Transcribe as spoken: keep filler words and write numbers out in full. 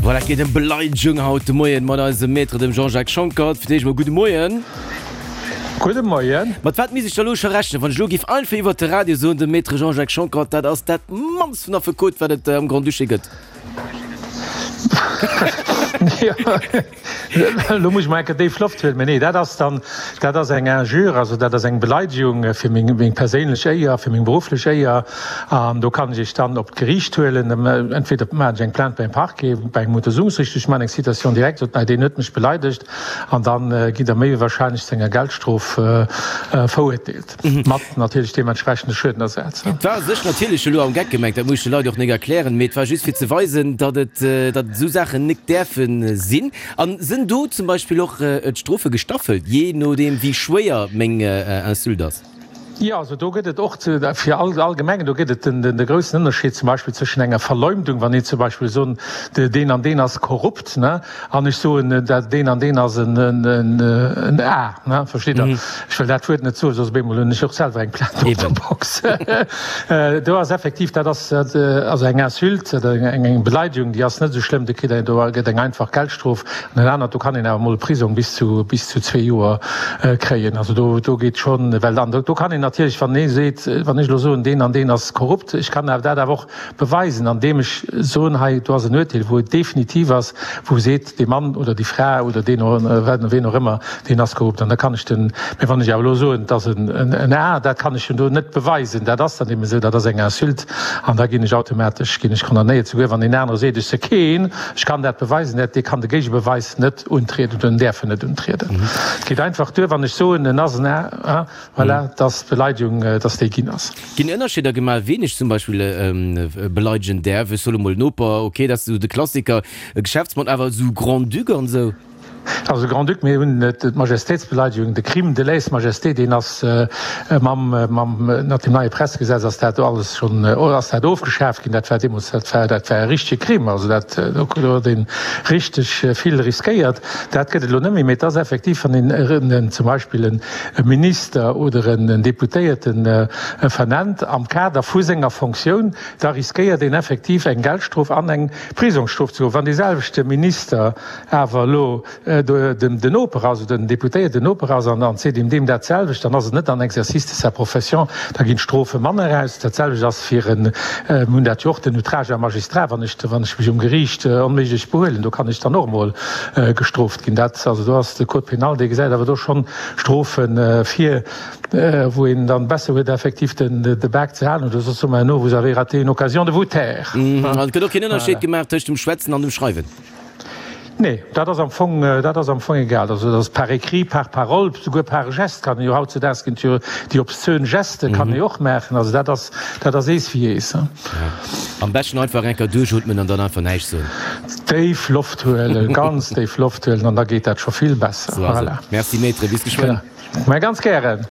Voilà, et geet ëm Beleidegung haut de Moien mat eisem Maître, dem Jean-Jacques Schonckert. Fir d'éischt mol gudde Moien. Gudde Moien. Mat wat misst ech da lo scho rechnen, wann ech lo géif einfach iwwert de Radio soen, dem Maître Jean-Jacques Schonckert, dat ass dat mannst vun Affekot, wat et am Grand-Duché gëtt? Elo muss ech mol eng Kéier déif Loft huelen. Mä nee, dat ass dann, dat ass eng Injure, also dat ass eng Beleidegung fir meng, meng perséinlech Éier, fir meng berufflech Éier. An do kann ech Iech dann op d'Geriicht huelen. Entweder maachen ech eng Plainte beim Parquet, bei engem Untersuchungsriichter, ech maachen eng Citation directe, sot, deen huet mech beleidegt. An da gitt Der méi wéi wahrscheinlech zu enger Geldstrof verurteelt, mat natierlech deementsprechende Schuedenersaz. Et war u sech natierlech elo am Geck gemengt, dat muss ech de Leit och nik erklären, mee et war just fir ze weisen, datt et, datt esou Saachen nik däerfe sinn. A sinn do zum Beispill och d'Strofe gestaffelt, jee nodeem wéi schwéier meng Insulte ass? Jo, also do gëtt et och fir all allgemengen, do gëtt et de groussen Ënnerscheed zum Beispill zwëschen enger Verleumdung, wann een zum Beispill soen, deen an deen ass korrupt, ne, an ech soen, dat deen an deen ass en en A, ne, versteet Der? Ech wëll dat Wuert net soen, soss op eemol hunn ech och selwer eng Plainte op der Box. Do ass effektiv, dat ass also eng Insulte oder eng Beleidigung, déi ass net esou schlëmm, do kritt een, do gëtt eng einfach Geldstrof. An en anert, do kann een awer emol e Prisong bis zu, bis zu zwee Joer kréien. Also do, do geet schonn, well dann, do kann een natierlech, wann ee seet, wann ech elo soen, deen an deen ass korrupt, ech kann awer dat awer och beweisen, andeem ech soen, hei do ass en Urteel, wou et definitiv ass, wou seet, dee Mann oder déi Fra oder deen, ween och ëmmer, deen ass korrupt. An da kann ech den, mä wann ech awer elo soen, et ass en, en A, dat kann ech jo do net beweisen, dat ass dann eben esou, dat ass eng Insulte an da ginn ech automatesch, ginn ech condamnéiert, souguer wann deen anere seet, ech se keen. Ech kann dat beweisen, dat dee kann de Géigebeweis net untrieden oder en däerf en net untrieden. Et geet einfach duer, wann ech soen, en ass en A, voilà, dass d'Beleidegung, dass déi ginn ass. Ginn Ënnerscheeder gemaach, wien ech zum Beispill beleidegen däerf? Ech soe mol Noper, ok, dat ass esou de Klassiker, e Geschäftsmann, awer esou Grand-Duc an esou? Also Grand-Duc, mir hunn d'Majestätsbeleidegung, de Crime de lèse-majesté, deen ass mam, mam, mat dem neie Pressegesetz ass dat alles schonn, ass dat ofgeschaaft ginn. Dat war deemools, dat war, dat war e richtege Crime, also dat, do huet ee richteg vill riskéiert. Dat gëtt et elo net méi, mee et ass effektiv, wann een en, zum Beispill en Minister oder en Deputéierten vernennt am Kader vu senger Fonctioun, da riskéiert een effektiv eng Geldstrof an eng Prisongsstrof ze goen. Wann deeselwechte Minister awer elo den Noper ass oder den Deputéierten Noper ass an seet deem deem dat selwecht, dann ass et net en exercice de sa profession, da ginn d'Strofe manner aus. Dat selwecht ass fir en, mir hunn dat jo och, den Outrage à magistrat, wann ech, wann ech mech um Geriicht onméiglech behuelen, do kann ech dann och emol gestrooft ginn. Dat, also do ass de Code pénal, dee gesäit awer do schonn Strofe vir, wou een dann besser huet effektiv den de Bak ze halen oder soss soe mer herno, vous avez raté une occasion de vous taire. An et gëtt och keen Ënnerscheed gemaach tëscht dem Schwätzen an dem Schreiwen? Nee, dat ass am Fong, dat ass am Fong egal. Also dat ass par écrit, par parole, souguer par geste kann ee jo hautzedaags ginn et jo déi obszön Geste kann ee och maachen. Also dat ass, dat ass ees wéi ees. Am beschten einfach eng Kéier duerchootmen an dann einfach näischt soen. Déif Loft huelen, ganz déif Loft huelen an da geet dat scho vill besser. Sou ass et. Merci Maître, bis geschwënn. Mä ganz gären.